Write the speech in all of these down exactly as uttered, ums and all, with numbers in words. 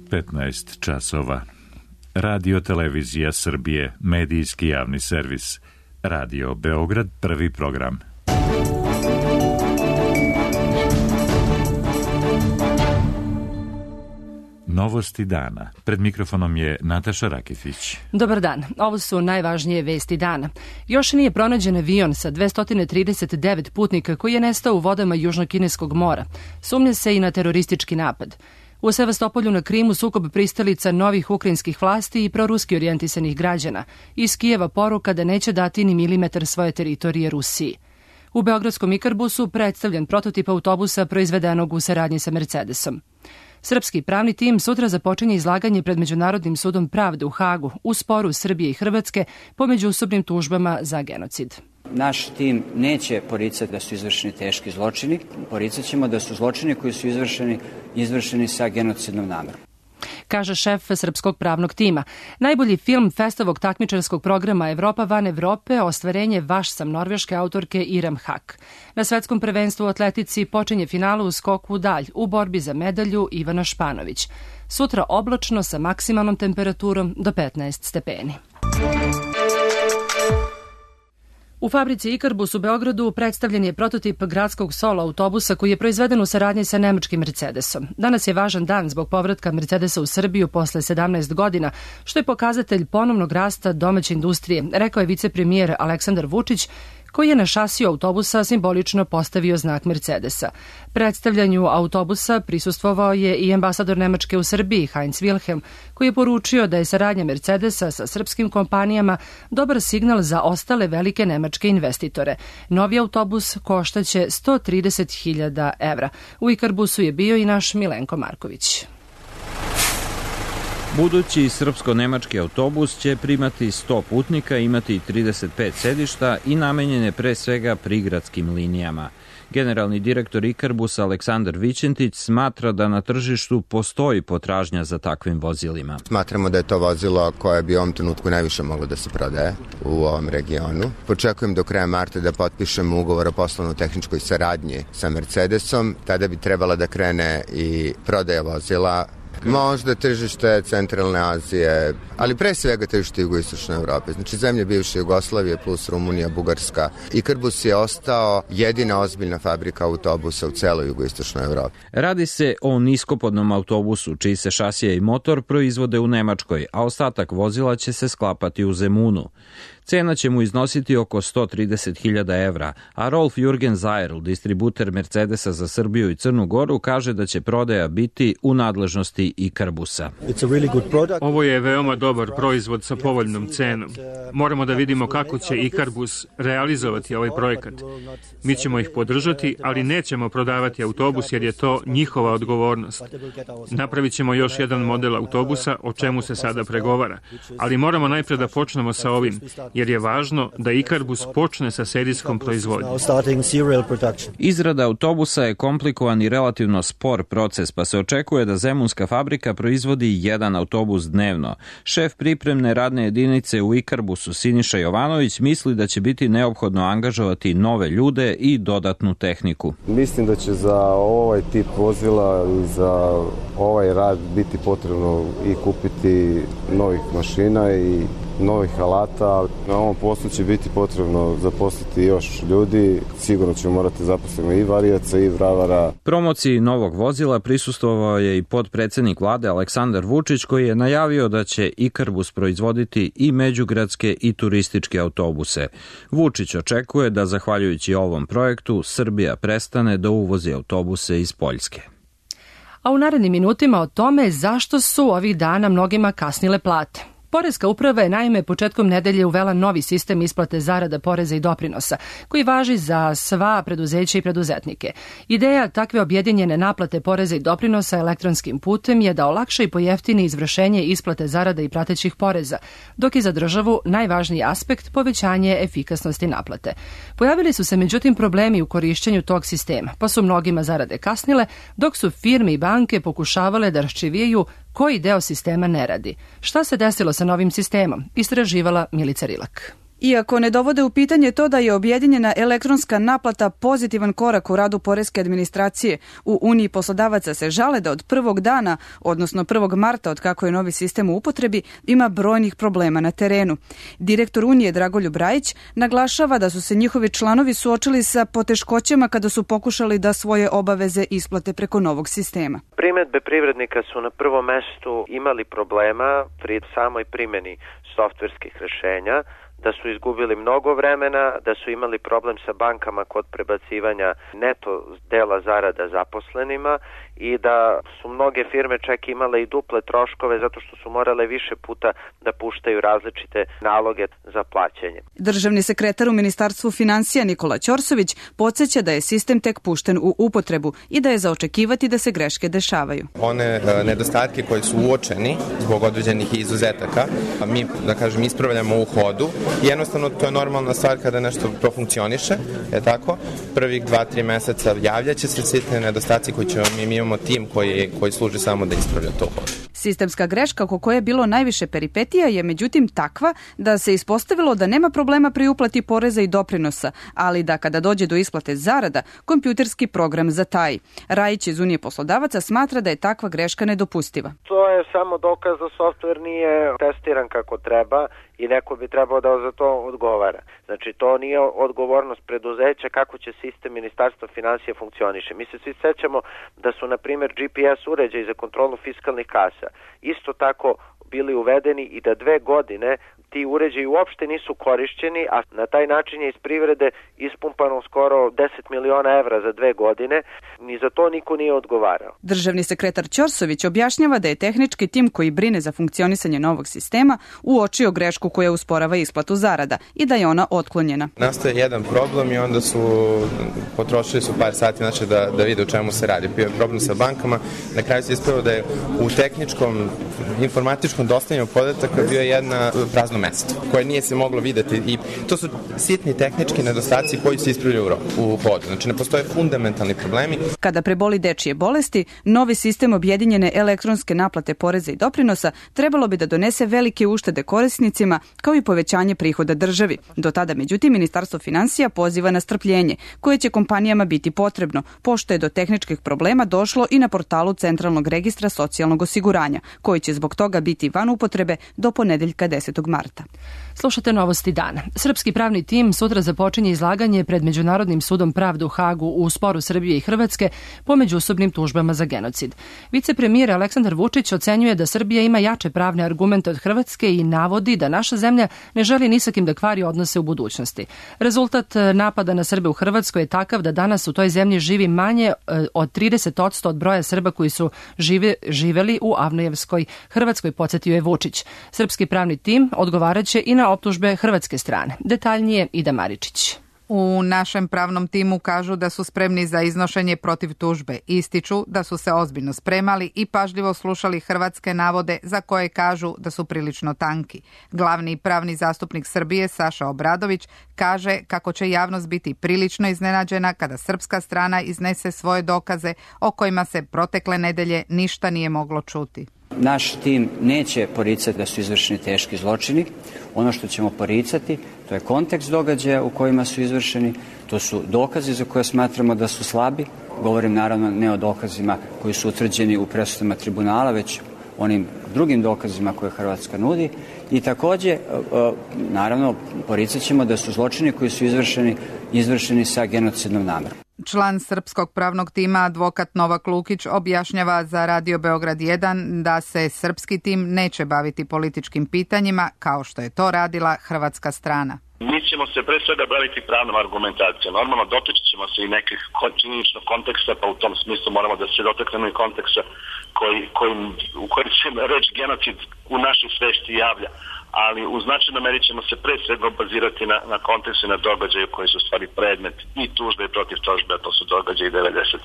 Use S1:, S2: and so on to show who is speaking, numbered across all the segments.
S1: petnaest časova. Radio Televizija Srbije, medijski javni servis. Radio Beograd, prvi program. Novosti dana. Pred mikrofonom je Nataša Raketić.
S2: Dobar dan. Ovo su najvažnije vesti dana. Još nije pronađen avion sa dvesta trideset devet putnika koji je nestao u vodama Južnokineskog mora. Sumnja se i na teroristički napad. U Sevastopolju na Krimu sukob pristalica novih ukrajinskih vlasti i proruski orijentisanih građana. Iz Kijeva poruka da neće dati ni milimetar svoje teritorije Rusiji. U beogradskom Ikarbusu predstavljen prototip autobusa proizvedenog u saradnji sa Mercedesom. Srpski pravni tim sutra započinje izlaganje pred Međunarodnim sudom pravde u Hagu u sporu Srbije i Hrvatske po međusobnim tužbama za genocid.
S3: Naš tim neće poricati da su izvršeni teški zločini, poricat ćemo da su zločini koji su izvršeni, izvršeni sa genocidnom namerom,
S2: kaže šef srpskog pravnog tima. Najbolji film festovog takmičarskog programa Evropa van Evrope, ostvarenje Vaš sam norveške autorke Iram Hak. Na svetskom prvenstvu u atletici počinje finala u skoku u dalj u borbi za medalju Ivana Španović. Sutra oblačno sa maksimalnom temperaturom do petnaest stepeni. U fabrici Ikarbus u Beogradu predstavljen je prototip gradskog solo autobusa koji je proizveden u saradnji sa nemačkim Mercedesom. Danas je važan dan zbog povratka Mercedesa u Srbiju posle sedamnaest godina, što je pokazatelj ponovnog rasta domaće industrije, rekao je vicepremijer Aleksandar Vučić, koji je na šasiju autobusa simbolično postavio znak Mercedesa. Predstavljanju autobusa prisustvovao je i ambasador Nemačke u Srbiji, Heinz Wilhelm, koji je poručio da je saradnja Mercedesa sa srpskim kompanijama dobar signal za ostale velike nemačke investitore. Novi autobus koštaće sto trideset hiljada evra. U Ikarbusu je bio i naš Milenko Marković.
S4: Budući srpsko-nemački autobus će primati sto putnika, imati trideset pet sedišta i namenjen je pre svega prigradskim linijama. Generalni direktor Ikarbusa Aleksandar Vićentić smatra da na tržištu postoji potražnja za takvim vozilima.
S5: Smatramo da je to vozilo koje bi u ovom trenutku najviše moglo da se prodaje u ovom regionu. Počekujem do kraja marta da potpišemo ugovor o poslovno-tehničkoj saradnji sa Mercedesom. Tada bi trebala da krene i prodaja vozila. Možda tržište centralne Azije, ali pre svega tržište jugoistočne Evrope. Znači zemlje bivše Jugoslavije plus Rumunija, Bugarska. Ikarbus je ostao jedina ozbiljna fabrika autobusa u celoj jugoistočnoj Evropi.
S4: Radi se o niskopodnom autobusu, čiji se šasije i motor proizvode u Nemačkoj, a ostatak vozila će se sklapati u Zemunu. Cena će mu iznositi oko sto trideset hiljada evra, a Rolf Jürgen Zajrl, distributer Mercedesa za Srbiju i Crnu Goru, kaže da će prodaja biti u nadležnosti Ikarbusa.
S6: Ovo je veoma dobar proizvod sa povoljnom cenom. Moramo da vidimo kako će Ikarbus realizovati ovaj projekat. Mi ćemo ih podržati, ali nećemo prodavati autobus jer je to njihova odgovornost. Napravit ćemo još jedan model autobusa, o čemu se sada pregovara, ali moramo najpre da počnemo sa ovim, jer je važno da Ikarbus počne sa serijskom proizvodnjom.
S4: Izrada autobusa je komplikovan i relativno spor proces, pa se očekuje da zemunska fabrika proizvodi jedan autobus dnevno. Šef pripremne radne jedinice u Ikarbusu Siniša Jovanović misli da će biti neophodno angažovati nove ljude i dodatnu tehniku.
S7: Mislim da će za ovaj tip vozila i za ovaj rad biti potrebno i kupiti novih mašina i novih alata. Na ovom poslu će biti potrebno zaposliti još ljudi. Sigurno ćemo morati zaposliti i varijaca i vravara.
S4: Promociji novog vozila prisustvovao je i podpredsednik vlade Aleksandar Vučić, koji je najavio da će Ikarbus proizvoditi i međugradske i turističke autobuse. Vučić očekuje da zahvaljujući ovom projektu Srbija prestane da uvozi autobuse iz Poljske.
S2: A u narednim minutima o tome zašto su ovih dana mnogima kasnile plate. Poreska uprava je naime početkom nedelje uvela novi sistem isplate zarada, poreza i doprinosa, koji važi za sva preduzeća i preduzetnike. Ideja takve objedinjene naplate poreza i doprinosa elektronskim putem je da olakša i pojeftini izvršenje isplate zarada i pratećih poreza, dok je za državu najvažniji aspekt povećanje efikasnosti naplate. Pojavili su se međutim problemi u korišćenju tog sistema, pa su mnogima zarade kasnile, dok su firme i banke pokušavale da raščivijaju koji deo sistema ne radi. Šta se desilo sa novim sistemom? Istraživala Milica Rilak.
S8: Iako ne dovode u pitanje to da je objedinjena elektronska naplata pozitivan korak u radu poreske administracije, u Uniji poslodavaca se žale da od prvog dana, odnosno prvog marta od kako je novi sistem u upotrebi, ima brojnih problema na terenu. Direktor Unije Dragoljub Rajić naglašava da su se njihovi članovi suočili sa poteškoćama kada su pokušali da svoje obaveze isplate preko novog sistema.
S9: Primedbe privrednika su na prvom mestu imali problema pri samoj primjeni softverskih rešenja, da su izgubili mnogo vremena, da su imali problem sa bankama kod prebacivanja neto dela zarada zaposlenima i da su mnoge firme čak imale i duple troškove zato što su morale više puta da puštaju različite naloge za plaćanje.
S8: Državni sekretar u Ministarstvu finansija Nikola Ćorsović podsjeća da je sistem tek pušten u upotrebu i da je za očekivati da se greške dešavaju.
S10: One nedostatke koji su uočeni zbog određenih izuzetaka, mi, da kažem, ispravljamo u hodu. Jednostavno, to je normalna stvar kada nešto profunkcioniše, je tako? Prvih dva, tri meseca javljaće se sitne nedostaci koji ćemo, mi imamo tim koji, koji služi samo da ispravlja to hodu.
S8: Sistemska greška oko koje je bilo najviše peripetija je međutim takva da se ispostavilo da nema problema pri uplati poreza i doprinosa, ali da kada dođe do isplate zarada, kompjuterski program zataji. Rajić iz Unije poslodavaca smatra da je takva greška nedopustiva.
S9: To je samo dokaz da softver nije testiran kako treba i neko bi trebao da za to odgovara. Znači, to nije odgovornost preduzeća kako će sistem Ministarstva finansija funkcioniše. Mi se svi sećamo da su, na primjer, G P S uređaji za kontrolu fiskalnih kasa isto tako bili uvedeni i da dve godine ti uređaji uopšte nisu korišćeni, a na taj način je iz privrede ispumpano skoro deset miliona evra za dve godine. Ni za to niko nije odgovarao.
S8: Državni sekretar Ćorsović objašnjava da je tehnički tim koji brine za funkcionisanje novog sistema uočio grešku koja usporava isplatu zarada i da je ona otklonjena.
S10: Nastaje jedan problem i onda su potrošili su par sati znači, da, da vide o čemu se radi. Bio je problem sa bankama. Na kraju se ispravilo da je u tehničkom informatičkom dostavljanju podataka bio jedna prazno mesto koje nije se moglo videti i to su sitni tehnički nedostaci koji se ispravljaju u hodu. Znači ne postoje fundamentalni problemi.
S8: Kada preboli dečije bolesti, novi sistem objedinjene elektronske naplate poreza i doprinosa trebalo bi da donese velike uštede korisnicima kao i povećanje prihoda državi. Do tada, međutim, Ministarstvo finansija poziva na strpljenje, koje će kompanijama biti potrebno, pošto je do tehničkih problema došlo i na portalu Centralnog registra socijalnog osiguranja, koji će zbog toga biti van upotrebe do ponedeljka desetog marta.
S2: Slušate novosti dana. Srpski pravni tim sutra započinje izlaganje pred Međunarodnim sudom pravde u Hagu u sporu Srbije i Hrvatske po međusobnim tužbama za genocid. Vicepremijer Aleksandar Vučić ocenjuje da Srbija ima jače pravne argumente od Hrvatske i navodi da naša zemlja ne želi ni sa kim da kvari odnose u budućnosti. Rezultat napada na Srbe u Hrvatskoj je takav da danas u toj zemlji živi manje od trideset posto od broja Srba koji su žive, živeli u Avnojevskoj Hrvatskoj, podsjetio je Vučić. Srpski pravni tim odgovaraće i na optužbe hrvatske strane. Detaljnije Ida Maričić.
S11: U našem pravnom timu kažu da su spremni za iznošenje protiv tužbe. Ističu da su se ozbiljno spremali i pažljivo slušali hrvatske navode za koje kažu da su prilično tanki. Glavni pravni zastupnik Srbije Saša Obradović kaže kako će javnost biti prilično iznenađena kada srpska strana iznese svoje dokaze o kojima se protekle nedelje ništa nije moglo čuti.
S3: Naš tim neće poricati da su izvršeni teški zločini. Ono što ćemo poricati, to je kontekst događaja u kojima su izvršeni, to su dokazi za koje smatramo da su slabi. Govorim naravno ne o dokazima koji su utvrđeni u presudama tribunala, već onim drugim dokazima koje Hrvatska nudi. I takođe, naravno, poricat ćemo da su zločini koji su izvršeni, izvršeni sa genocidnom namerom.
S11: Član srpskog pravnog tima, advokat Novak Lukić, objašnjava za Radio Beograd jedan da se srpski tim neće baviti političkim pitanjima kao što je to radila hrvatska strana.
S12: Mi ćemo se pre svega baviti pravnom argumentacijom. Normalno dotačit ćemo se i nekih činjeničnog konteksta, pa u tom smislu moramo da se dotaknemo i konteksta koji, koji, u kojem se reč genocid u našoj svešti javlja. Ali u značajnoj meri ćemo se pre svega bazirati na, na kontekstu i na događaju koji su stvari predmet i tužbe i protiv tužbe, a to su događaji devedeset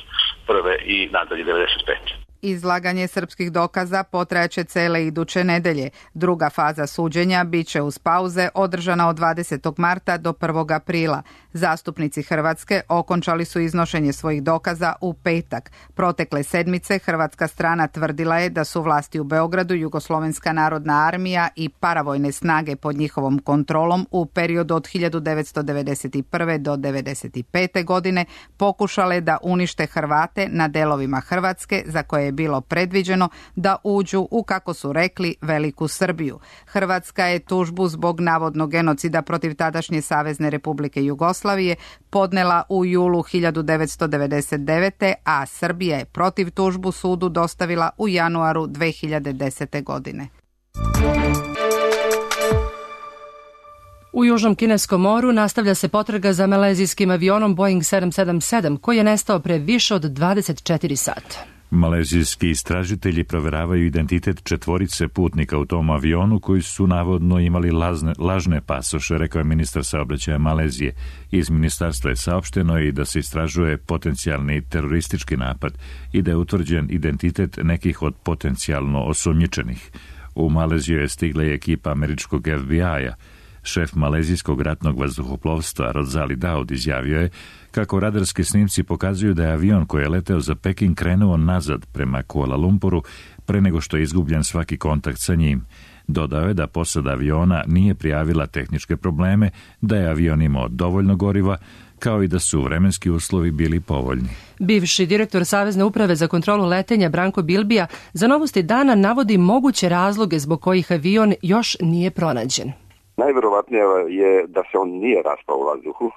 S12: prve i nadalje devedeset pete
S11: Izlaganje srpskih dokaza potrajaće cele iduće nedelje. Druga faza suđenja biće uz pauze održana od dvadesetog marta do prvog aprila. Zastupnici Hrvatske okončali su iznošenje svojih dokaza u petak. Protekle sedmice hrvatska strana tvrdila je da su vlasti u Beogradu, Jugoslovenska narodna armija i paravojne snage pod njihovom kontrolom u periodu od hiljadu devetsto devedeset prve do devedeset pete godine pokušale da unište Hrvate na delovima Hrvatske za koje je bilo predviđeno da uđu u, kako su rekli, Veliku Srbiju. Hrvatska je tužbu zbog navodnog genocida protiv tadašnje Savezne Republike Jugoslavije podnela u julu hiljadu devetsto devedeset devete. a Srbija je protiv tužbu sudu dostavila u januaru dve hiljade desete. godine.
S2: U Južnom kineskom moru nastavlja se potraga za malezijskim avionom Boeing sedam sedam sedam koji je nestao pre više od dvadeset četiri sata.
S1: Malezijski istražitelji proveravaju identitet četvorice putnika u tom avionu koji su navodno imali lazne, lažne pasoše, rekao je ministar saobraćaja Malezije. Iz ministarstva je saopšteno i da se istražuje potencijalni teroristički napad i da je utvrđen identitet nekih od potencijalno osumnjičenih. U Maleziju je stigla i ekipa američkog F B I-a. Šef malezijskog ratnog vazduhoplovstva Rozali Daud izjavio je kako radarski snimci pokazuju da je avion koji je leteo za Peking krenuo nazad prema Kuala Lumpuru pre nego što je izgubljen svaki kontakt sa njim. Dodao je da posada aviona nije prijavila tehničke probleme, da je avion imao dovoljno goriva, kao i da su vremenski uslovi bili povoljni.
S2: Bivši direktor Savezne uprave za kontrolu letenja Branko Bilbija za Novosti dana navodi moguće razloge zbog kojih avion još nije pronađen.
S13: Najverovatnije je da se on nije raspao u vazduhu,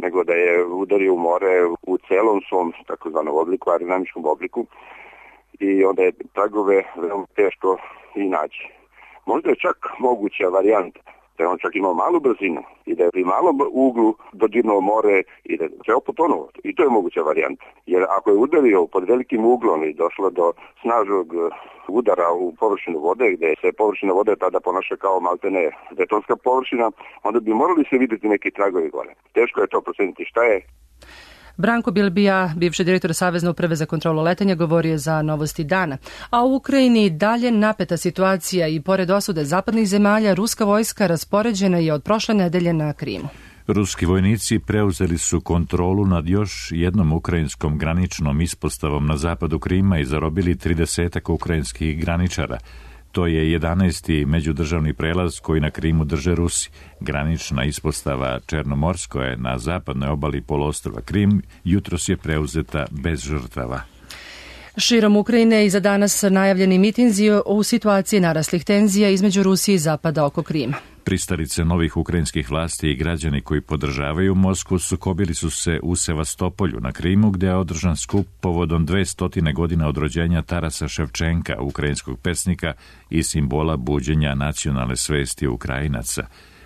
S13: nego da je udario u more u celom svom takozvanom obliku, aerodinamičkom obliku, i onda je tragove veoma teško i naći. Možda je čak moguća varijanta da je on čak imao malu brzinu i da je pri malom uglu dodirnuo more i da je ceo potonuo. I to je moguća varijanta. Jer ako je udario pod velikim uglom i došlo do snažnog udara u površinu vode, gde se površina vode tada ponaša kao maltene betonska površina, onda bi morali se vidjeti neki tragovi gore. Teško je to proceniti šta je.
S2: Branko Bilbija, bivši direktor Savezne uprave za kontrolu letenja, govorio za Novosti dana. A u Ukrajini dalje napeta situacija i pored osude zapadnih zemalja, ruska vojska raspoređena je od prošle nedelje na Krimu.
S1: Ruski vojnici preuzeli su kontrolu nad još jednom ukrajinskom graničnom ispostavom na zapadu Krima i zarobili tridesetak ukrajinskih graničara. To je jedanaesti međudržavni prelaz koji na Krimu drže Rusi. Granična ispostava Černomorsko je na zapadnoj obali poluostrva Krim jutros je preuzeta bez žrtava.
S2: Širom Ukrajine i za danas najavljeni mitinzi u situaciji naraslih tenzija između Rusije i Zapada oko Krima.
S1: Pristalice novih ukrajinskih vlasti i građani koji podržavaju Moskvu sukobili su se u Sevastopolju na Krimu, gdje je održan skup povodom dvestotine godina od rođenja Tarasa Ševčenka, ukrajinskog pesnika i simbola buđenja nacionalne svesti Ukrajinaca.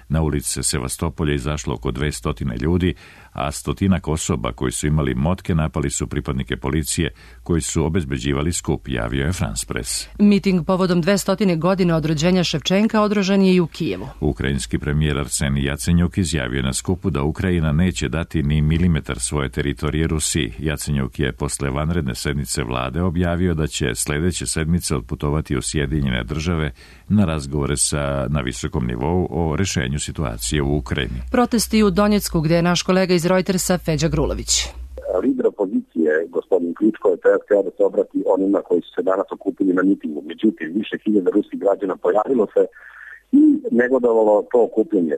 S1: Na ulice Sevastopolja izašlo oko dvestotine ljudi, a stotinak osoba koji su imali motke napali su pripadnike policije koji su obezbeđivali skup, javio je France Press.
S2: Miting povodom dvestotine godine od rođenja Ševčenka održan je i u Kijevu.
S1: Ukrajinski premijer Arsenij Jacenjuk izjavio na skupu da Ukrajina neće dati ni milimetar svoje teritorije Rusiji. Jacenjuk je posle vanredne sednice vlade objavio da će sledeće sedmice odputovati u Sjedinjene države na razgovore sa, na visokom nivou o rešenju situacije u Ukrajini.
S2: Protesti u Donjecku, gdje je naš kolega iz Reutersa Feđa Grulović.
S14: Lider opozicije, gospodin Kličko, je htio da se obrati onima koji su se danas okupili na mitingu. Međutim, više hiljada ruskih građana pojavilo se i negodovalo to okupljenje.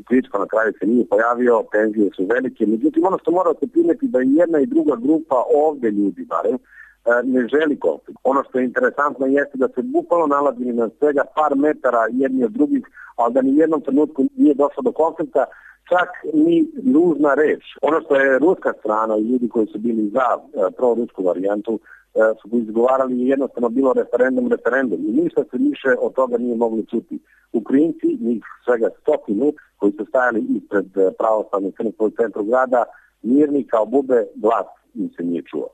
S14: Kličko na kraju se nije pojavio, tenzije su velike. Međutim, ono što mora se primeti da i jedna i druga grupa ovde ljudi, barem, ne želi konflikt. Ono što je interesantno jeste da se bukvalno nalazili na svega par metara jedni od drugih, ali da ni jednom trenutku nije došlo do konflikta, čak ni ružna reč. Ono što je ruska strana i ljudi koji su bili za e, prorusku varijantu e, su izgovarali je jednostavno bilo referendum, referendum. I ništa se više od toga nije mogli čuti. Ukrajinci, njih svega stotinu, koji su stajali ispred pravoslavnog crkve u centru grada, mirni kao bube, glas im se nije čuo.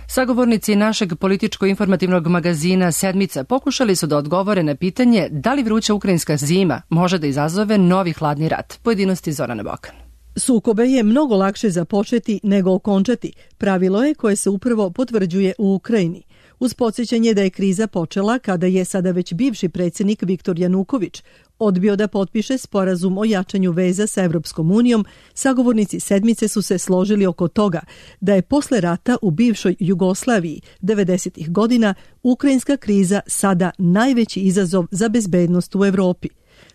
S2: Sagovornici našeg političko-informativnog magazina Sedmica pokušali su da odgovore na pitanje da li vruća ukrajinska zima može da izazove novi hladni rat. Pojedinosti Zorana Bokan.
S15: Sukobe je mnogo lakše započeti nego okončati. Pravilo je koje se upravo potvrđuje u Ukrajini. uz podsjećanje da je kriza počela kada je sada već bivši predsjednik Viktor Januković odbio da potpiše sporazum o jačanju veza sa Evropskom unijom, sagovornici sedmice su se složili oko toga da je posle rata u bivšoj Jugoslaviji devedesetih godina ukrajinska kriza sada najveći izazov za bezbednost u Evropi.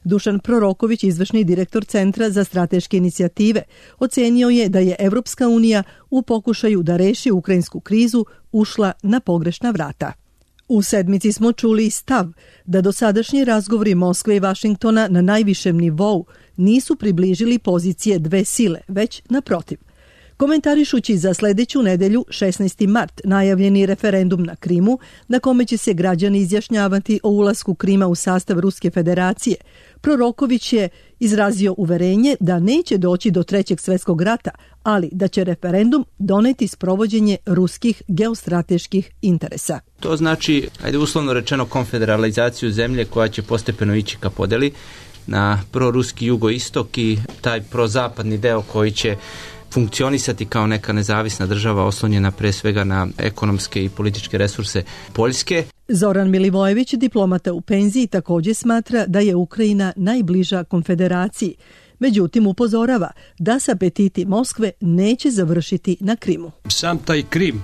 S15: Dušan Proroković, izvršni direktor Centra za strateške inicijative, ocenio je da je Evropska unija u pokušaju da reši ukrajinsku krizu ušla na pogrešna vrata. U sedmici smo čuli stav da dosadašnji razgovori Moskve i Vašingtona na najvišem nivou nisu približili pozicije dve sile, već naprotiv. Komentarišući za sledeću nedelju, šesnaesti mart, najavljeni referendum na Krimu, na kome će se građani izjašnjavati o ulasku Krima u sastav Ruske federacije, Proroković je izrazio uverenje da neće doći do trećeg svjetskog rata, ali da će referendum doneti sprovođenje ruskih geostrateških interesa.
S16: To znači, ajde uslovno rečeno, konfederalizaciju zemlje koja će postepeno ići ka podeli na proruski jugoistok i taj prozapadni deo koji će funkcionisati kao neka nezavisna država oslonjena pre svega na ekonomske i političke resurse Poljske.
S15: Zoran Milivojević, diplomata u penziji, također smatra da je Ukrajina najbliža konfederaciji. Međutim, upozorava da se apetiti Moskve neće završiti na Krimu.
S17: Sam taj Krim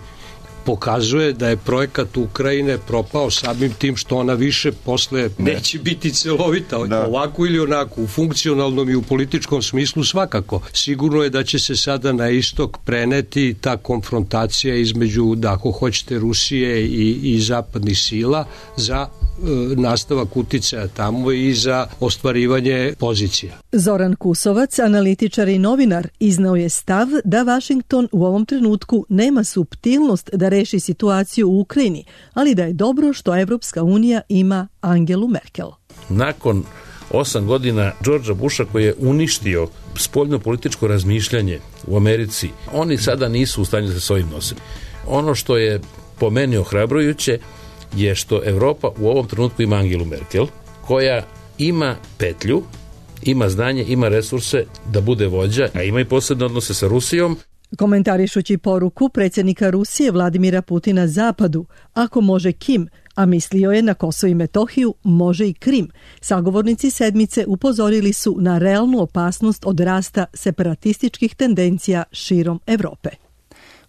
S17: pokazuje da je projekat Ukrajine propao samim tim što ona više posle neće biti celovita, da. Ovako ili onako, u funkcionalnom i u političkom smislu svakako. Sigurno je da će se sada na istok preneti ta konfrontacija između, da ako hoćete, Rusije i, i zapadnih sila za e, nastavak uticaja tamo i za ostvarivanje pozicija.
S15: Zoran Kusovac, analitičar i novinar, iznao je stav da Vašington u ovom trenutku nema suptilnost da reši situaciju u Ukrajini, ali da je dobro što Evropska unija ima Angelu Merkel.
S18: Nakon osam godina Georgea Busha koji je uništio spoljno političko razmišljanje u Americi, oni sada nisu u stanju da se s ovim nosili. Ono što je po meni ohrabrujuće je što Evropa u ovom trenutku ima Angelu Merkel, koja ima petlju, ima znanje, ima resurse da bude vođa, a ima i posebne odnose sa Rusijom.
S15: Komentarišući poruku predsjednika Rusije Vladimira Putina Zapadu, ako može Kim, a mislio je na Kosovo i Metohiju, može i Krim. Sagovornici sedmice upozorili su na realnu opasnost od rasta separatističkih tendencija širom Evrope.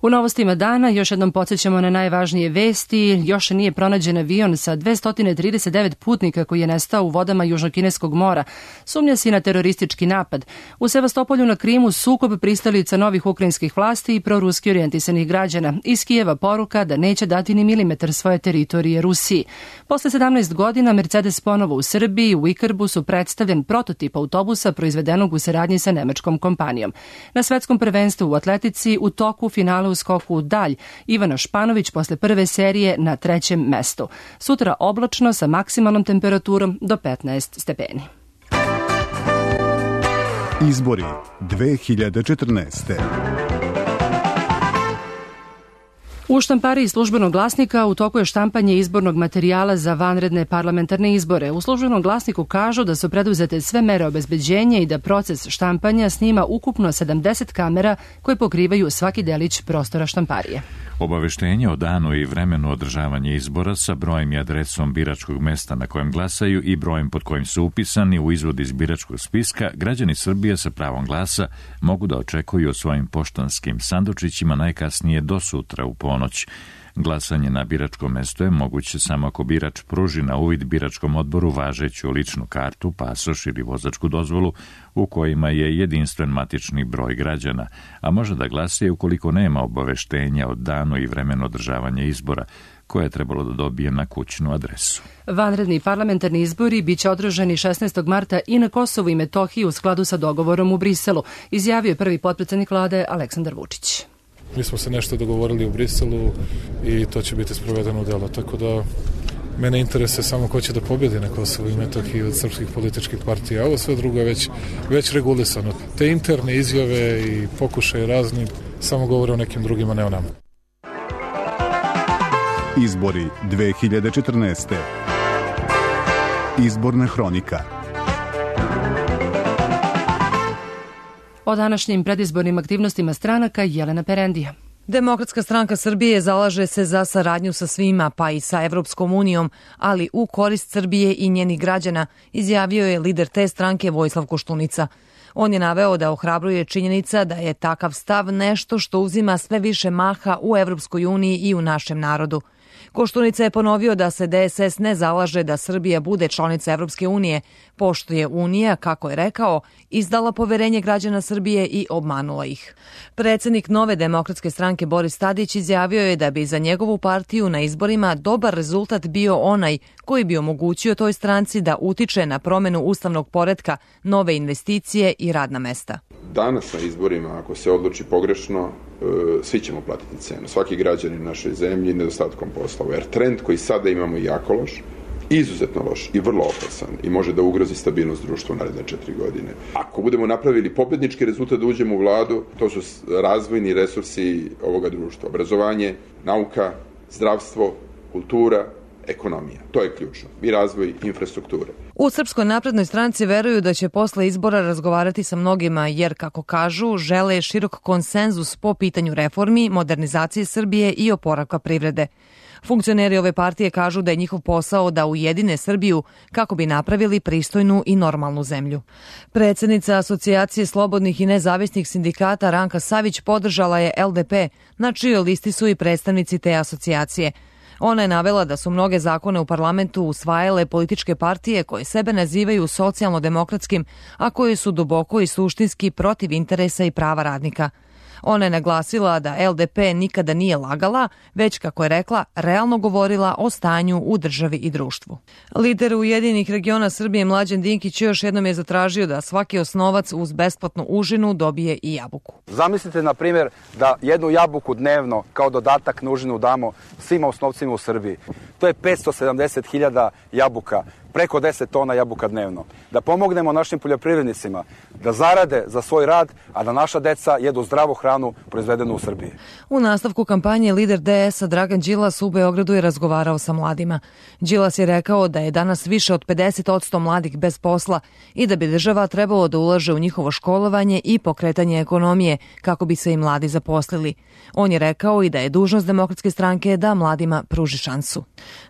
S2: U novostima dana još jednom podsjećamo na najvažnije vesti. Još nije pronađen avion sa dvesta trideset devet putnika koji je nestao u vodama Južnokineskog mora. Sumnja se i na teroristički napad. U Sevastopolju na Krimu sukob pristalica novih ukrajinskih vlasti i proruski orijentisanih građana. Iz Kijeva poruka da neće dati ni milimetar svoje teritorije Rusiji. Posle sedamnaest godina Mercedes ponovo u Srbiji, u Ikarbusu predstavljen prototip autobusa proizvedenog u saradnji sa nemačkom kompanijom. Na svetskom prvenstvu u atletici u toku finala u skoku u dalj, Ivana Španović posle prve serije na trećem mestu. Sutra oblačno sa maksimalnom temperaturom do petnaest stepeni.
S19: Izbori dve hiljade četrnaeste.
S2: U štampariji Službenog glasnika u toku je štampanje izbornog materijala za vanredne parlamentarne izbore. U Službenom glasniku kažu da su preduzete sve mere obezbeđenja i da proces štampanja snima ukupno sedamdeset kamera koje pokrivaju svaki delić prostora štamparije.
S1: Obaveštenje o danu i vremenu održavanja izbora sa brojem i adresom biračkog mesta na kojem glasaju i brojem pod kojim su upisani u izvod iz biračkog spiska, građani Srbije sa pravom glasa mogu da očekuju o svojim poštanskim sandučićima najkasnije do sutra u ponoć. Glasanje na biračkom mestu je moguće samo ako birač pruži na uvid biračkom odboru važeću ličnu kartu, pasoš ili vozačku dozvolu u kojima je jedinstven matični broj građana, a može da glasa i ukoliko nema obaveštenja o danu i vremenu održavanja izbora, koje je trebalo da dobije na kućnu adresu.
S2: Vanredni parlamentarni izbori biće održani šesnaestog marta i na Kosovu i Metohiji u skladu sa dogovorom u Briselu, izjavio je prvi potpredsednik vlade Aleksandar Vučić.
S20: Mi smo se nešto dogovorili u Briselu i to će biti sprovedeno u delo, tako da mene interese samo ko će da pobjedi na Kosovu i Metohiji od srpskih političkih partija, a ovo sve drugo je već, već regulisano. Te interne izjave i pokušaje razni samo govore o nekim drugima, ne o nama.
S19: Izbori dve hiljade četrnaeste. Izborna hronika.
S2: O današnjim predizbornim aktivnostima stranaka Jelena Perendija. Demokratska stranka Srbije zalaže se za saradnju sa svima, pa i sa Evropskom unijom, ali u korist Srbije i njenih građana, izjavio je lider te stranke Vojislav Koštunica. On je naveo da ohrabruje činjenica da je takav stav nešto što uzima sve više maha u Evropskoj uniji i u našem narodu. Koštunica je ponovio da se D S S ne zalaže da Srbija bude članica Evropske unije, pošto je Unija, kako je rekao, izdala poverenje građana Srbije i obmanula ih. Predsednik Nove demokratske stranke Boris Tadić izjavio je da bi za njegovu partiju na izborima dobar rezultat bio onaj koji bi omogućio toj stranci da utiče na promenu ustavnog poretka, nove investicije i radna mesta.
S21: Danas na izborima, ako se odluči pogrešno, svi ćemo platiti cenu. Svaki građanin našoj zemlji nedostatkom posla. Jer trend koji sada imamo je jako loš, izuzetno loš i vrlo opasan i može da ugrozi stabilnost društva u naredne četiri godine. Ako budemo napravili pobednički rezultat da uđemo u vladu, to su razvojni resursi ovoga društva. Obrazovanje, nauka, zdravstvo, kultura, ekonomija. To je ključno. I razvoj infrastrukture.
S2: U Srpskoj naprednoj stranci veruju da će posle izbora razgovarati sa mnogima jer, kako kažu, žele širok konsenzus po pitanju reformi, modernizacije Srbije i oporavka privrede. Funkcioneri ove partije kažu da je njihov posao da ujedine Srbiju kako bi napravili pristojnu i normalnu zemlju. Predsednica Asocijacije slobodnih i nezavisnih sindikata Ranka Savić podržala je L D P, na čijoj listi su i predstavnici te asocijacije. Ona je navela da su mnoge zakone u parlamentu usvajale političke partije koje sebe nazivaju socijalno-demokratskim, a koje su duboko i suštinski protiv interesa i prava radnika. Ona je naglasila da L D P nikada nije lagala, već, kako je rekla, realno govorila o stanju u državi i društvu. Lider Ujedinjenih regiona Srbije Mlađan Dinkić još jednom je zatražio da svaki osnovac uz besplatnu užinu dobije i jabuku.
S22: Zamislite, na primjer, da jednu jabuku dnevno kao dodatak na užinu damo svim osnovcima u Srbiji. To je petsto sedamdeset hiljada jabuka, preko deset tona jabuka dnevno. Da pomognemo našim poljoprivrednicima da zarade za svoj rad, a da naša deca jedu zdravu hranu proizvedenu u Srbiji.
S2: U nastavku kampanje lider D S-a Dragan Đilas u Beogradu je razgovarao sa mladima. Đilas je rekao da je danas više od pedeset posto mladih bez posla i da bi država trebalo da ulaže u njihovo školovanje i pokretanje ekonomije kako bi se i mladi zaposlili. On je rekao i da je dužnost Demokratske stranke da mladima pruži šansu.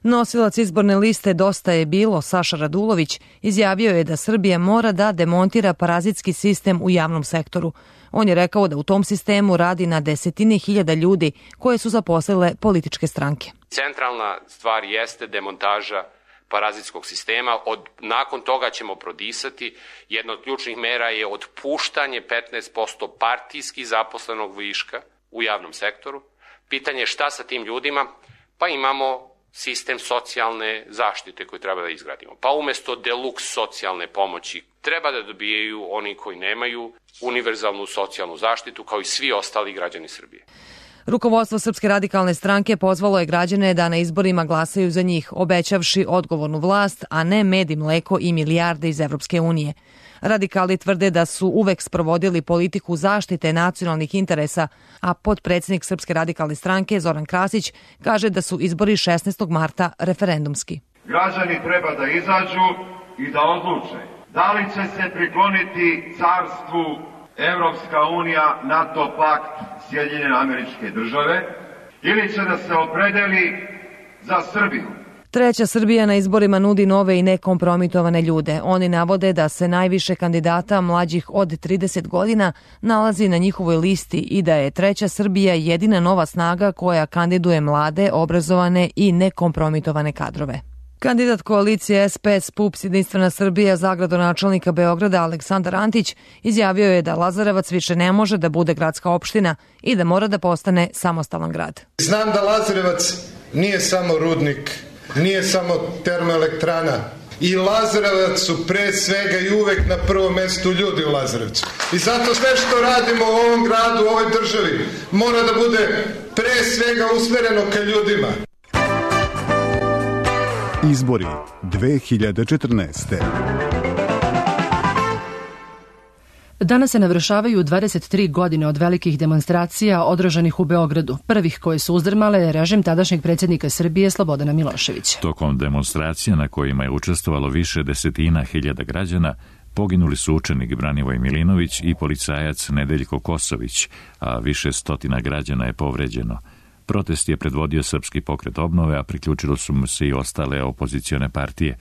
S2: Nosilac izborne liste Dosta je bilo, Saša Radulović, izjavio je da Srbija mora da demontira parazitski sistem u javnom sektoru. On je rekao da u tom sistemu radi na desetine hiljada ljudi koje su zaposlile političke stranke.
S23: Centralna stvar jeste demontaža parazitskog sistema. Od, nakon toga ćemo prodisati. Jedna od ključnih mera je otpuštanje petnaest posto partijski zaposlenog viška u javnom sektoru. Pitanje je šta sa tim ljudima? Pa imamo sistem socijalne zaštite koji treba da izgradimo. Pa umesto deluks socijalne pomoći treba da dobijaju oni koji nemaju univerzalnu socijalnu zaštitu kao i svi ostali građani Srbije.
S2: Rukovodstvo Srpske radikalne stranke pozvalo je građane da na izborima glasaju za njih, obećavši odgovornu vlast, a ne med i mleko i milijarde iz Evropske unije. Radikali tvrde da su uvek sprovodili politiku zaštite nacionalnih interesa, a potpredsednik Srpske radikalne stranke Zoran Krasić kaže da su izbori šesnaestog marta referendumski.
S24: Građani treba da izađu i da odluče da li će se prikloniti carstvu Evropska unija, NATO pakt, Sjedinjene Američke Države ili će da se opredeli za Srbiju.
S2: Treća Srbija na izborima nudi nove i nekompromitovane ljude. Oni navode da se najviše kandidata mlađih od trideset godina nalazi na njihovoj listi i da je Treća Srbija jedina nova snaga koja kandiduje mlade, obrazovane i nekompromitovane kadrove. Kandidat koalicije S P S P U P S Jedinstvena Srbija za gradonačelnika Beograda Aleksandar Antić izjavio je da Lazarevac više ne može da bude gradska opština i da mora da postane samostalan grad.
S25: Znam da Lazarevac nije samo rudnik, nije samo termoelektrana. I Lazarevac su pre svega i uvek na prvom mestu ljudi u Lazarevcu. I zato sve što radimo u ovom gradu, u ovoj državi, mora da bude pre svega usmereno ka ljudima.
S19: Izbori dve hiljade četrnaeste.
S2: Danas se navršavaju dvadeset tri godine od velikih demonstracija održanih u Beogradu, prvih koje su uzdrmale režim tadašnjeg predsjednika Srbije Slobodana Miloševića.
S1: Tokom demonstracija na kojima je učestvovalo više desetina hiljada građana, Poginuli su učenik Branivoj Milinović i policajac Nedeljko Kosović, a više stotina građana je povređeno. Protest je predvodio Srpski pokret obnove, a priključilo su mu se i ostale opozicione partije.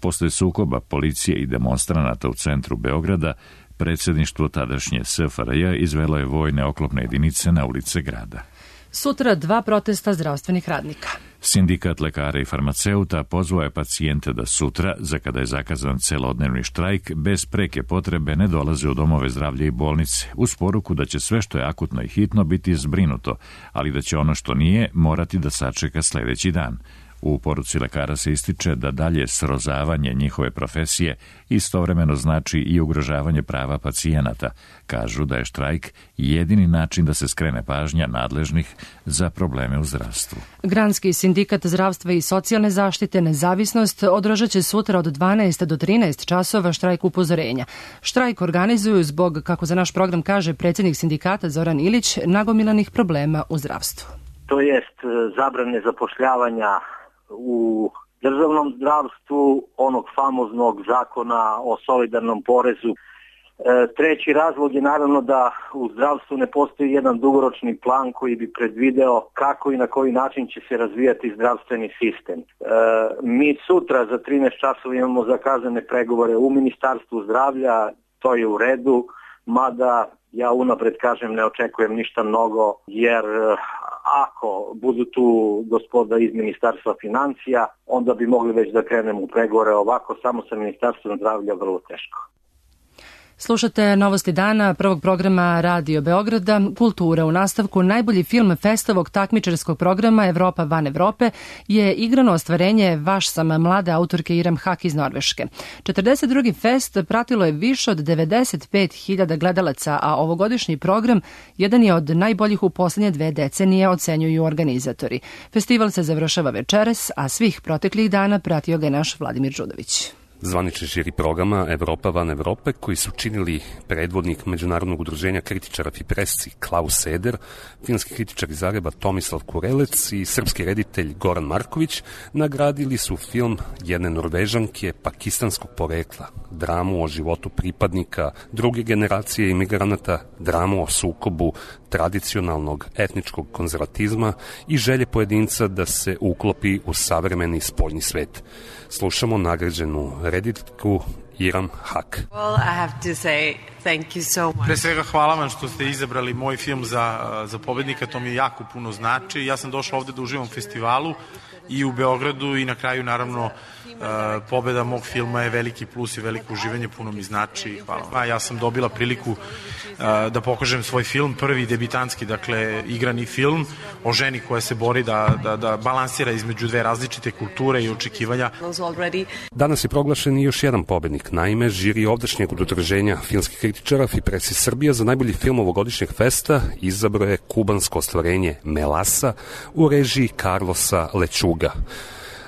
S1: Posle sukoba policije i demonstranata u centru Beograda, predsjedništvo tadašnje S F R J izvelo je vojne oklopne jedinice na ulice grada.
S2: Sutra dva protesta zdravstvenih radnika.
S1: Sindikat lekara i farmaceuta pozvao je pacijente da sutra, za kada je zakazan celodnevni štrajk, bez preke potrebe ne dolaze u domove zdravlja i bolnice, uz poruku da će sve što je akutno i hitno biti zbrinuto, ali da će ono što nije morati da sačeka sljedeći dan. U poruci lekara se ističe da dalje srozavanje njihove profesije istovremeno znači i ugrožavanje prava pacijenata. Kažu da je štrajk jedini način da se skrene pažnja nadležnih za probleme u zdravstvu.
S2: Granski sindikat zdravstva i socijalne zaštite Nezavisnost održat će sutra od dvanaest do trinaest časova štrajk upozorenja. Štrajk organizuju zbog, kako za naš program kaže predsjednik sindikata Zoran Ilić, nagomilanih problema u zdravstvu.
S4: To jest zabrane zapošljavanja u državnom zdravstvu, onog famoznog zakona o solidarnom porezu. E, treći razlog je naravno da u zdravstvu ne postoji jedan dugoročni plan koji bi predvideo kako i na koji način će se razvijati zdravstveni sistem. E, mi sutra za trinaest časova imamo zakazane pregovore u Ministarstvu zdravlja, to je u redu, mada ja unapred kažem ne očekujem ništa mnogo, jer ako budu tu gospoda iz Ministarstva financija, onda bi mogli već da krenemo u pregovore. Ovako samo sa Ministarstvom zdravlja vrlo teško.
S2: Slušate Novosti dana prvog programa Radio Beograda, Kultura. U nastavku najbolji film festovog takmičarskog programa Evropa van Evrope je igrano ostvarenje Vaš sam mlade autorke Iram Hak iz Norveške. četrdeset drugi fest pratilo je više od devedeset pet hiljada gledalaca, a ovogodišnji program jedan je od najboljih u posljednje dve decenije, ocenjuju organizatori. Festival se završava večeras, a svih proteklih dana pratio ga je naš Vladimir Đudović.
S5: Zvanični žiri programa Evropa van Evrope, koji su činili predvodnik Međunarodnog udruženja kritičara Fipresci Klaus Seder, filmski kritičar iz Zagreba Tomislav Kurelec i srpski reditelj Goran Marković, nagradili su film jedne Norvežanke pakistanskog porekla, dramu o životu pripadnika druge generacije imigranata, dramu o sukobu tradicionalnog etničkog konzervatizma i želje pojedinca da se uklopi u savremeni spoljni svet. Slušamo nagrađenu reditelku Iram Hak.
S6: Well, I have to say thank you so much.
S7: Pre svega hvala vam što ste izabrali moj film za, za pobednika, to mi jako puno znači. Ja sam došla ovde da uživam u festivalu i u Beogradu i na kraju naravno pobeda mog filma je veliki plus i veliko uživanje, puno mi znači. Hvala. Ja sam dobila priliku da pokažem svoj film, prvi debitanski, dakle igrani film o ženi koja se bori da, da, da balansira između dve različite kulture i očekivanja.
S5: Danas je proglašen i još jedan pobednik. Naime, žiri ovdašnjeg udruženja filmskih kritičara Fipresci Srbija za najbolji film ovogodišnjeg festa izabrao je kubansko ostvarenje Melasa u režiji Carlosa Lećuga.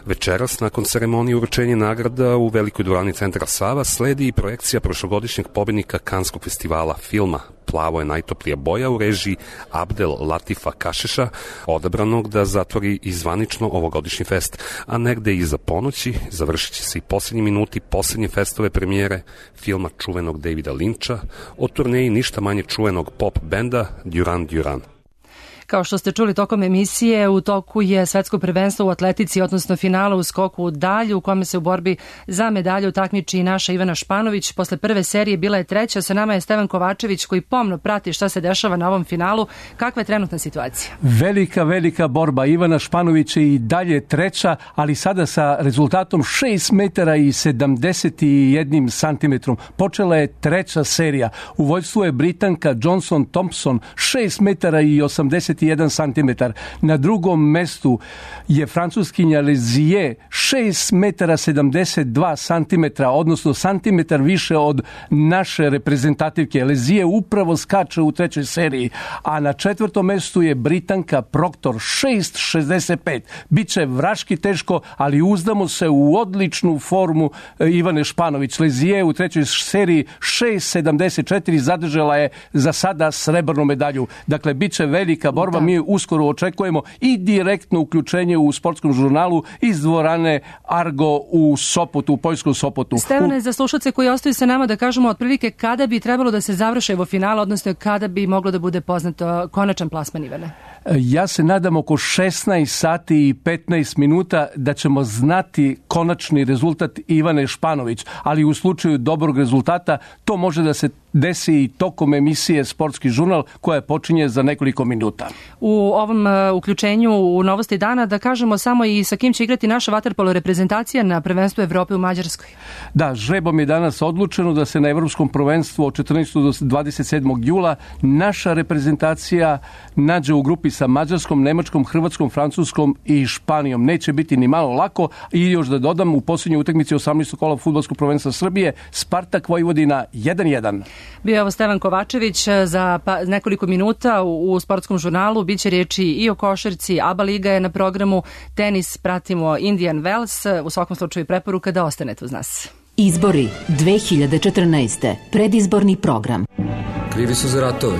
S5: Večeras, nakon ceremonije uručenja nagrada u velikoj dvorani centra Sava, sledi i projekcija prošlogodišnjeg pobednika Kanskog festivala filma Plavo je najtoplija boja u režiji Abdel Latifa Kašeša, odabranog da zatvori i zvanično ovogodišnji fest, a negde iza ponoći završit će se i posljednji minuti posljednje festove premijere filma čuvenog Davida Lynča o turneji ništa manje čuvenog pop benda Duran Duran.
S2: Kao što ste čuli tokom emisije, u toku je svetsko prvenstvo u atletici, odnosno finala u skoku u dalju, u kome se u borbi za medalju takmiči i naša Ivana Španović. Posle prve serije bila je treća, sa nama je Stevan Kovačević koji pomno prati šta se dešava na ovom finalu. Kakva je trenutna situacija?
S9: Velika, velika borba. Ivana Španović je i dalje treća, ali sada sa rezultatom šest metara i sedamdeset jedan santimetrom. Počela je treća serija. U vođstvu je Britanka Johnson Thompson, šest metara i osamdeset jedan santimetar. Na drugom mestu je francuskinja Lezier, šest metara sedamdeset dva santimetra, odnosno santimetar više od naše reprezentativke. Lezier upravo skače u trećoj seriji, a na četvrtom mestu je Britanka Proctor, šest šezdeset pet. Biće vraški teško, ali uzdamo se u odličnu formu Ivane Španović. Lezier u trećoj seriji šest sedamdeset četiri zadržala je za sada srebrnu medalju. Dakle, biće velika borba. borba. Da. Mi uskoro očekujemo i direktno uključenje u sportskom žurnalu iz dvorane Argo u Sopotu, u poljskom Sopotu.
S2: Stevane, za slušalce koji ostaju sa nama da kažemo otprilike kada bi trebalo da se završe evo finala, odnosno kada bi moglo da bude poznato konačan plasman, Ivane?
S9: Ja se nadam oko šesnaest sati i petnaest minuta da ćemo znati konačni rezultat Ivane Španović, ali u slučaju dobrog rezultata to može da se desi i tokom emisije Sportski žurnal koja počinje za nekoliko minuta.
S2: U ovom uh, uključenju u novosti dana da kažemo samo i sa kim će igrati naša vaterpolo reprezentacija na prvenstvu Evrope u Mađarskoj.
S9: Da, žrebom je danas odlučeno da se na Evropskom prvenstvu od četrnaestog do dvadeset sedmog jula naša reprezentacija nađe u grupi sa Mađarskom, Nemačkom, Hrvatskom, Francuskom i Španijom. Neće biti ni malo lako i još da dodam u posljednjoj utakmici osamnaestog kola fudbalskog prvenstva Srbije Spartak Vojvodina jedan jedan.
S2: Bio je ovo Stevan Kovačević za pa, nekoliko minuta u, u sportskom žurnalu. Biće riječi i o košarci, ABA liga je na programu, tenis pratimo Indian Wells. U svakom slučaju preporuka da ostanete uz nas.
S3: Izbori dve hiljade četrnaeste. Predizborni program.
S8: Krivi su za ratove.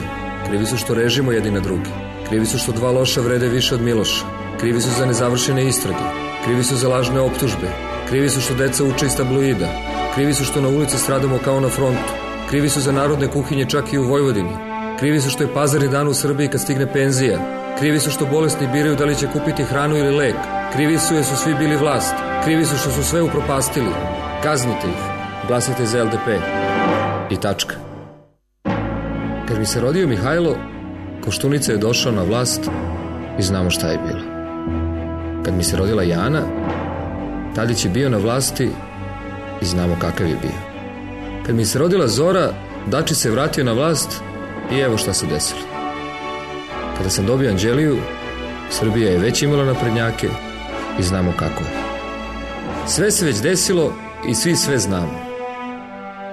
S8: Krivi su što režimo jedni na drugi. Krivi su što dva loša vrede više od Miloša. Krivi su za nezavršene istrage. Krivi su za lažne optužbe. Krivi su što deca uče iz tabloida. Krivi su što na ulici stradamo kao na frontu. Krivi su za narodne kuhinje čak i u Vojvodini. Krivi su što je pazarni dan u Srbiji kad stigne penzija. Krivi su što bolesni biraju da li će kupiti hranu ili lek. Krivi su jer su svi bili vlast. Krivi su što su sve upropastili. Kaznite ih. Glasajte za L D P. I tačka. Kad mi se rodio Mihajlo, Koštunica je došao na vlast i znamo šta je bilo. Kad mi se rodila Jana, Tadić je bio na vlasti i znamo kakav je bio. Kad mi se rodila Zora, Dačić se vratio na vlast i evo šta se desilo. Kada sam dobio Anđeliju, Srbija je već imala naprednjake i znamo kako je. Sve se već desilo i svi sve znamo.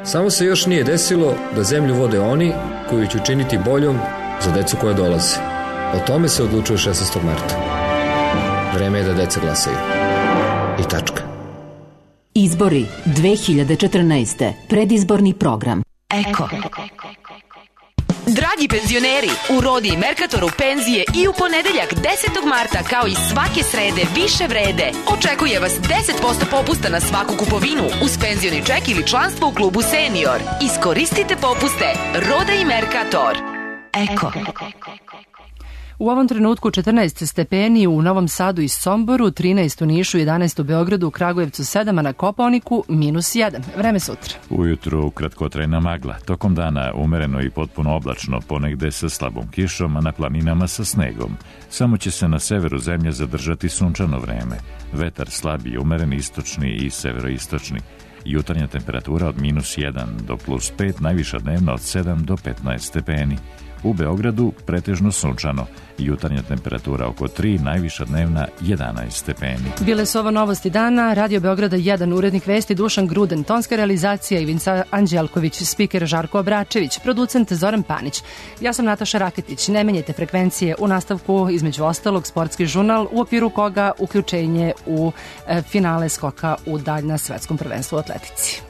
S8: Samo se još nije desilo da zemlju vode oni koji će učiniti boljom za decu koja dolaze. O tome se odlučuje šesnaestog marta. Vreme je da deca glasaju. I tačka.
S3: Izbori dve hiljade četrnaeste. Predizborni program. Eko.
S10: Dragi penzioneri, u Rodi i Merkatoru penzije i u ponedeljak desetog marta kao i svake srede više vrede. Očekuje vas deset posto popusta na svaku kupovinu uz penzioni ček ili članstvo u klubu Senior. Iskoristite popuste. Roda i Merkator. Eko.
S2: U ovom trenutku četrnaest stepeni u Novom Sadu i Somboru, trinaest u Nišu, jedanaest u Beogradu, u Kragujevcu sedam, a na Kopaoniku minus jedan. Vreme sutra.
S1: Ujutru kratkotrajna magla, tokom dana umereno i potpuno oblačno, ponegde sa slabom kišom, a na planinama sa snegom. Samo će se na severu zemlje zadržati sunčano vreme. Vetar slabi, umeren istočni i severoistočni. Jutarnja temperatura od minus jedan do plus pet, najviša dnevna od sedam do petnaest stepeni. U Beogradu pretežno sunčano, jutarnja temperatura oko tri, najviša dnevna jedanaest stepeni.
S2: Bile su ovo novosti dana, Radio Beograda jedan, urednik vesti Dušan Gruden, tonska realizacija Ivinca Anđelković, spiker Žarko Obračević, producent Zoran Panić. Ja sam Nataša Raketić, ne menjajte frekvencije, u nastavku između ostalog Sportski žurnal, u okviru koga uključenje u e, finale skoka u dalj na svetskom prvenstvu u atletici.